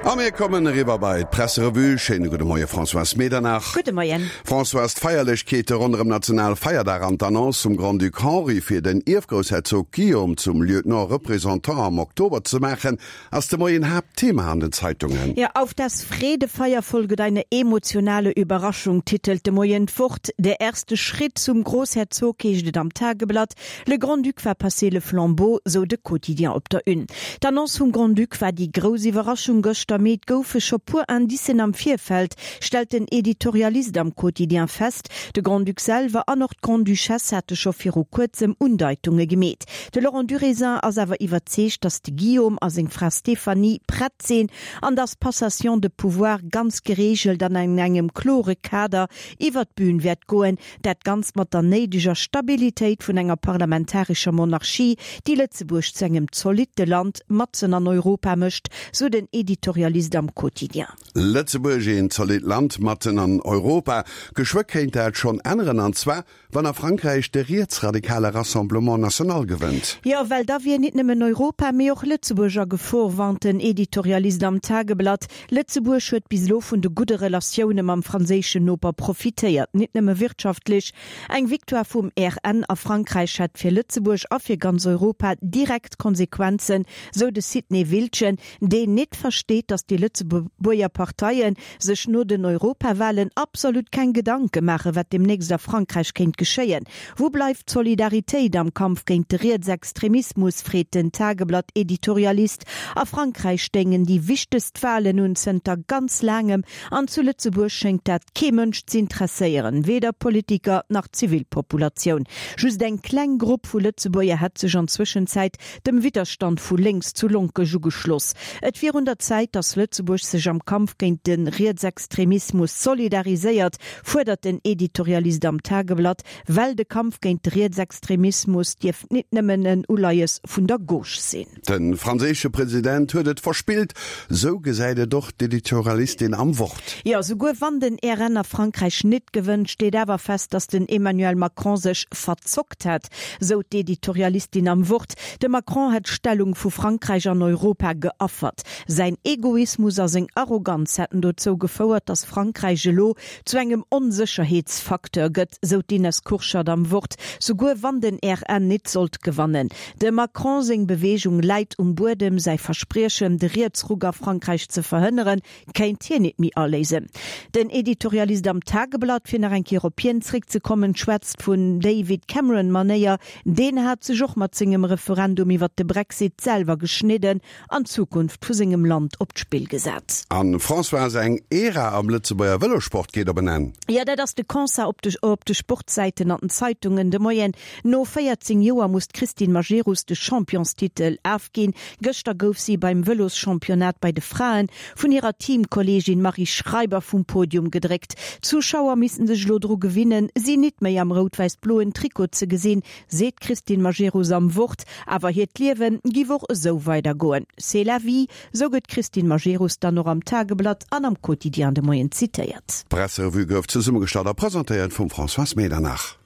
A mir kommen eriwwer bei d'Presserevue. Schéine gudde Moie Françoise Medernach. Gudde Moien. Françoise, d'Feierlechkeete ronderëm Nationalfeierdag an d'Annonce vum Grand-Duc Henri fir den Ierfgroussherzog Guillaume zum Lieutenant Représentant am Oktober ze maachen, ass de Moien Haaptthema an den Zeitungen. Jo, Auf das Fredefeuer folget eine emotionale Überraschung, titelt de Moien d'Wort. Der erste Schritt zum Großherzog heescht et am Tageblatt. Le Grand-Duc va passer le flambeau, sou de Quotidien op der Une. D'Annonce vum Grand-Duc war déi grouss Iwwerraschung gëschter, mee et goufe scho puer Indicen am Virfeld, stellt den Editorialist am Quotidien fest. De Grand-Duc selwer an och d'Grande-Duchesse hate scho viru kuerzem Undeitunge gemeet. De Laurent Durézin ass awer iwwerzeegt, datt de Guillaume a seng Fra Stéphanie prett sinn an datt d'Passation de pouvoir ganz gereegelt an an engem klore Kader iwwer d'Bün wäert goen. Dat Ganzt mat der néideger Stabilitéit vun enger parlamentarescher Monarchie, déi Lëtzebuerg zu engem zolitte Land matzen an Europa mécht, sou den Editorialist am Quotidien. Lëtzebuerg, een zolitt Land matzen an Europa. Geschwë kéint dat schonn änneren, an zwar wann a Frankräich de rietsradikale Rassemblement National gewënnt. Jo, well da wier nit nëmmen Europa, mee och Lëtzebuerg a Gefor, warnt den Editorialist am Tageblatt. Lëtzebuerg huet bis elo vun de gudde Relatioune mam franséischen Noper profitéiert, nit nëmme wirtschaftlech. Eng Victoire vum RN a Frankräich hätt fir Lëtzebuerg a fir ganz Europa direkt Konsequenzen, sou de Sidney Wildgen, deen nit versteet, datt déi Lëtzebuerger Parteie sech no den Europawahlen absolut keng Gedanke maachen, wat deemnächst a Frankräich kéint geschéien. Wou bleift d'Solidaritéit am Kampf géint de Rietsextremismus, freet den Tageblatt-Editorialist. A Frankräich stéingen déi wichtegst Walen un zënter ganz laangem an zu Lëtzebuerg schéngt dat kee Mënsch z'intresséieren, weder Politiker nach d'Zivilpopulatioun. Just eng kleng Grupp vu Lëtzebuerger hätt sech an Zwëschenzäit dem Widderstand vu lénks zu Lonkech ugeschloss. Et wier un der Zäit, datt Lëtzebuerg sech am Kampf géint de Rietsextremismus solidariséiert, fuerdert den Editorialist am Tageblatt, well de Kampf géint de Rietsextremismus dierft nit nëmmen en Uleies vun der Gauche sinn. De franséische President huet et verspillt, sou gesäit et och d'Editorialistin am Wort. Jo, souguer wann den RN a Frankräich nit gewënnt, steet awer fest, datt den Emmanuel Macron sech verzockt hätt, sou d'Editorialistin am Wort. De Macron hätt d'Stellung vu Frankräich an Europa geaffert. Säin Egoismus a seng Arroganz hätten dozou gefouert, datt Frankräich elo zu engem Onsécherheetsfacteur gëtt, sou d'Ines Kurschat am Wort, souguer wann den RN nit sollt gewannen. Dem Macron seng Beweegung läit um Buedem, säi Verspriechen, de Rietsruck a Frankräich ze verhënneren, kéint hien nit méi aléisen. Den Editorialist am Tageblatt, fir nach eng Kéier op hien zréckzekommen, schwätzt vun David Cameron-Manéier, deen hat sech och mat sengem Referendum iwwert de Brexit selwer geschnidden an d'Zukunft vu sengem Land op d'Spill gesat. A Françoise, eng Ära am Lëtzebuerger Vëlossport geet op en Enn. Jo, dat ass de Constat op de op de Sportsäiten an den Zeitungen de Moien. No 14 Joer muss d'Christine Majerus de Championstitel afginn. Gëschter gouf si beim Vëloschampionnat bei de Fraen vun hirer Teamkolleegin Marie Schreiber vum Podium gedréckt. D'Zuschauer missten sech elo dru gewinnen, si nit méi am rout-wäiss-bloen Trikot ze gesinn, seet d'Christine Majerus am Wort. Awer hiert Liewe giff och esou weidergoen. C'est la vie, sou gëtt d'Christine Majerus dann och am Tageblatt an am Quotidien de Moien zitéiert. D'Presserevue gouf zesummegestallt a presentéiert vum Françoise Medernach.